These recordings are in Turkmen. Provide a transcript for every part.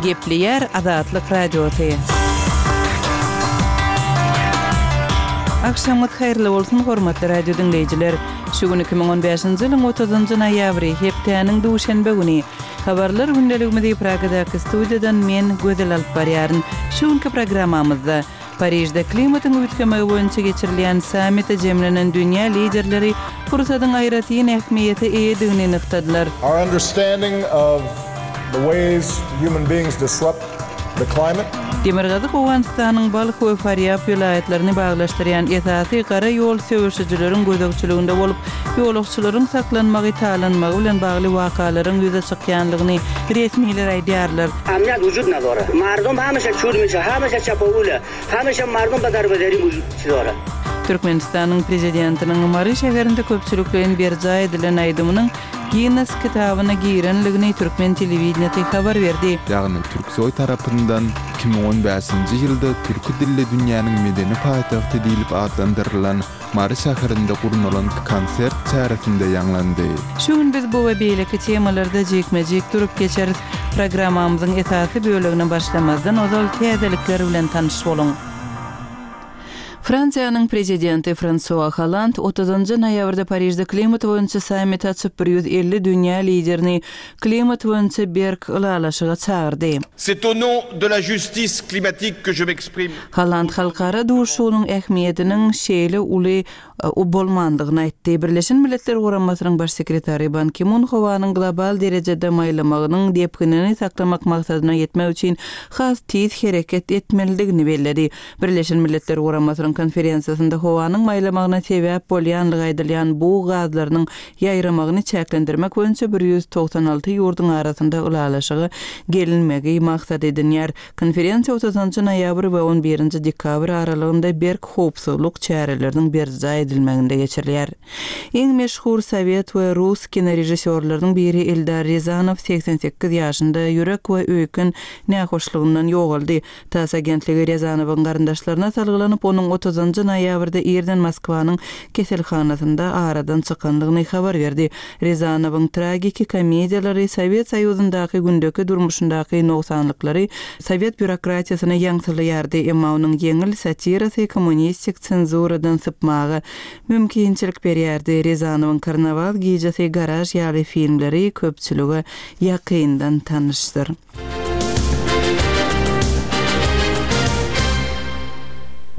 Gepleýär Azatlyk Radiosy. Agşamyňyz haýyrly bolsun, hormatly radio diňleýjiler! Şu gün 2015-nji ýylyň 30-njy noýabry, hepdäniň duşenbe güni. Habarlar gündeligimizi Pragadaky studiýadan men, Gözel alyp barýaryn. Şu günki programmamyzda, Parižde klimatyň üýtgemegi boýunça geçirilýän sammite jemlenen dünýä liderleri pursadyň aýratyn ähmiýete eýedigini nygtadylar. Our understanding of the ways human beings disrupt the climate. Demirgazyk Owganystanyň Balh we Farýab welaýatlaryny baglaşdyrýan esasy gara ýol söweşijileriň gözegçiliginde bolup, ýolagçylaryň saklanmagy, talanmagy bilen bagly wakalaryň ýüze çykýanlygyny resmiler aýdýarlar. Amniýat wujud nadora. Mardom hameşe çür mişe, hameşe çapawule, hameşe mardom ba darbederi wujud dora. Türkmenistanyň Prezidentiniň Mary şäherinde köpçülikleýin berjaý edilen aýdymynyň Ginnes kitabyna girenligini türkmen telewideniýesi habar berdi. Ýagny Türksoý tarapyndan 2015-nji ýylda türki dilli dünýäniň medeni paýtagty diýlip atlandyrylan Mary şäherinde gurnalan konsert çäresinde ýaňlandy. Şu gün biz bu we beýleki temalarda jikme-jik durup geçeris. Programmamyzyň esasy bölegine başlamazdan ozal täzelikler bilen tanyş boluň. Fransiýanyň Prezidenti Fransua Holland otuzynjy noýabrda Parižde klimat boýunça sammit açyp, 150 dünýä liderini klimat boýunça berk ylalaşyga çagyrdy. C'est au nom de la justice climatique que je m'exprime. Holland halkara duşuşygynyň ähmiýetiniň şeýle uly bolmandygyny aýtdy. Birleşen Milletler Guramasynyň Baş sekretary Ban Ki-mun howanyň global derejede maýlamagynyň depginini saklamak maksadyna ýetmek üçin has tiz hereket etmelidigini belledi. Birleşen Milletler Guramasynyň konferensiýasynda howanyň maýlamagyna sebäp bolýanlygy aýdylýan bug gazlarynyň ýaýramagyny çäklendirmek boýunça 196 ýurduň arasynda ylalaşyga gelinmegi maksat edinýär. Konferensiýa otuzynjy noýabr we on birinji dekabr aralygynda berk howpsuzlyk çäreleriniň berjaý edilmeginde geçirilýär. Iň meşhur sowet we rus kinorežissýorlarynyň biri Eldar Rezanow 88 ýaşynda ýürek we öýken nähoşlugyndan ýogaldy. Tass agentligi Rezanowyň garyndaşlaryna salgylanyp, onuň otuzynjy noýabrda irden Moskwanyň keselhanasynda aradan çykandygyny habar berdi. Rezanowyň tragiki komediýalary Sowet Soýuzyndaky gündeki durmuşyndaky nogsanlyklary sowet býurokratiýasyny ýaňsylaýardy, emma onuň ýeňil satirasy kommunistik senzuradan sypmaga mümkinçilik berýärdi. Rezanowyň Karnawal gijesi, Garaž ýaly filmleri köpçülige ýakyndan tanyşdyr.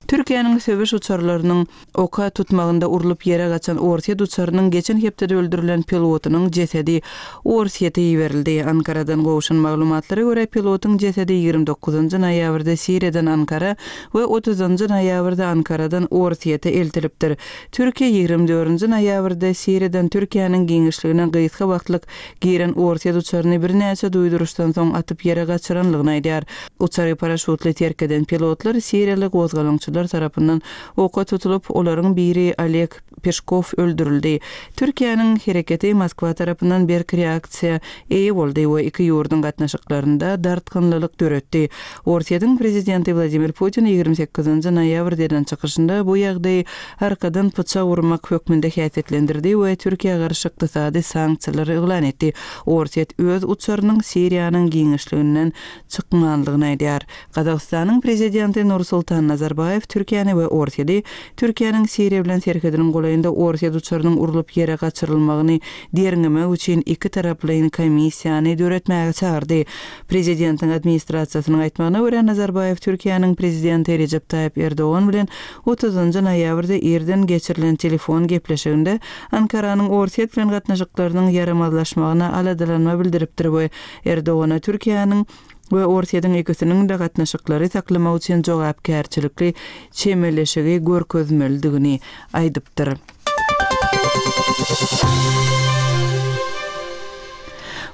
Türkiýäniň söweş uçarlarynyň oka tutmagynda urlup ýere gaçan orsýet uçarynyň geçen hepdede öldürilen pilotynyň jesedi Orsýete iberildi. Ankaradan gowşan maglumatlara görä, pilotyň jesedi 29 noýabrda Siriýadan Ankara we 30 noýabrda Ankaradan Orsýete eltilipdir. Türkiýe 24 noýabrda Siriýadan Türkiýäniň giňişligine gysga wagtlyk Giren orsýet uçaryny birnäçe duýduryşdan soň atyp ýere gaçyranlygyny aýdýar. Uçary paraşutly terk eden pilotlar siriýaly gozgalaňçylar tarapyndan oka tutulyp, olaryň biri Oleg Peşkow öldürildi. Türkiýäniň hereketi Moskwa tarapyndan berk reaksiýa eýe boldy we iki ýurduň gatnaşyklarynda dartgynlylyk döretdi. Orsýetiň prezidenti Wladimir Putin 28 noýabrda eden çykyşynda bu ýagdaýy arkadan pyçak urmak hökmünde häsiýetlendirdi we Türkiýä garşy ykdysady sanksiýalary yglan etdi. Orsýet öz uçarynyň Siriýanyň giňişliginden çykmanlygyny aýdýar. Gazagystanyň prezidenti Nursultan Nazarbaýew Türkiýäni we Orsýedi Türkiýäniň Siriýa bilen serhediniň golaýynda orsýet uçarynyň urlup ýere gaçyrylmagyny derňemek üçin ikitaraplaýyn komissiýany döretmäge çagyrdy. Prezidentiň administrasiýasynyň aýtmagyna görä, Nazarbaýew Türkiýäniň prezidenti Rejep Taýyp Erdogan bilen otuzynjy noýabrda irden geçirilen telefon gepleşiginde Ankaranyň Orsýet bilen gatnaşyklarynyň ýaramazlaşmagyna aladalanma bildiripdir we Erdogana Türkiýäniň we Orsýetiň ikisiniň-de gatnaşyklary saklamak üçin jogapkärçilikli çemeleşigi görkezmelidigini aýdypdyr.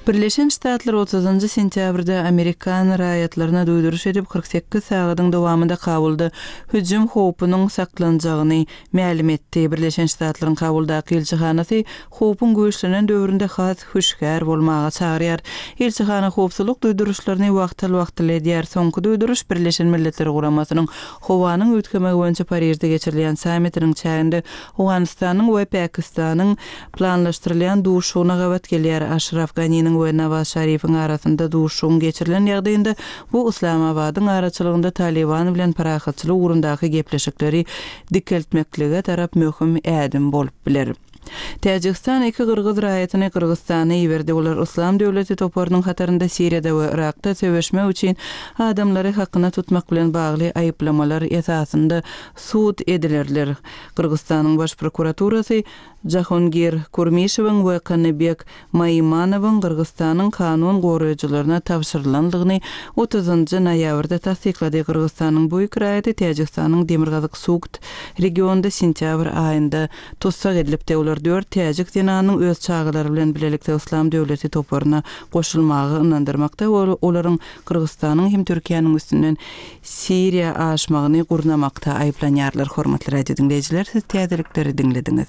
Birleşen Ştatlar otuzynjy sentýabrda amerikan raýatlaryna duýduryş edip, 48 sagadyň dowamynda Kabulda hüjüm howpunyň saklanjagyny mälim etdi. Birleşen Ştatlaryň Kabuldaky ilçihanasy howpuň güýçlenen döwründe has hüşgär bolmaga çagyrýar. Ilçihana howpsuzlyk duýduryşlaryny wagtal-wagtal edýär. Soňky duýduryş Birleşen Milletler Guramasynyň Howanyň üýtgemegi boýunça Parižde geçirilýän sammitiniň çäginde Owganystanyň we Pakistanyň planlaşdyrylýan duşuşygyna gabat gelýär. Aşraf Ganiniň. Karzaýynyň we Nawaz Şarifiň arasynda duşuşygyň geçirilen ýagdaýynda bu Yslamabadyň araçylygynda Talyban bilen parahatçylyk ugrundaky gepleşikleri dikeltmeklige tarap möhüm ädim bolup biler. Täjigistan iki gyrgyz raýatyny Gyrgyzystana iberdi. Olar Yslam döwleti toparynyň hatarynda Siriýada we Yrakda söweşmek üçin adamlary hakyna tutmak bilen bagly aýyplamalar esasynda sud edilerler. Gyrgyzystanyň Baş prokuraturasy Jahongir Kurmişewiň we Kanybek Maimanowyň Gyrgyzystanyň kanun goraýjylaryna tabşyrylandygyny otuzynjy noýabrda tassyklady. Gyrgyzystanyň bu iki raýaty Täjigistanyň demirgazyk Sugt regionynda sentýabr aýynda tussag edilipdi. Olar dört täjik zenanynyň öz çagalary bilen bilelikde Yslam döwleti toparyna goşulmaga ynandyrmakda we olaryň Gyrgyzystanyň hem Türkiýäniň üstünden Siriýa aşmagyny gurnamakda aýyplanýarlar. Hormatly radio diňleýjiler, siz täzelikleri diňlediňiz.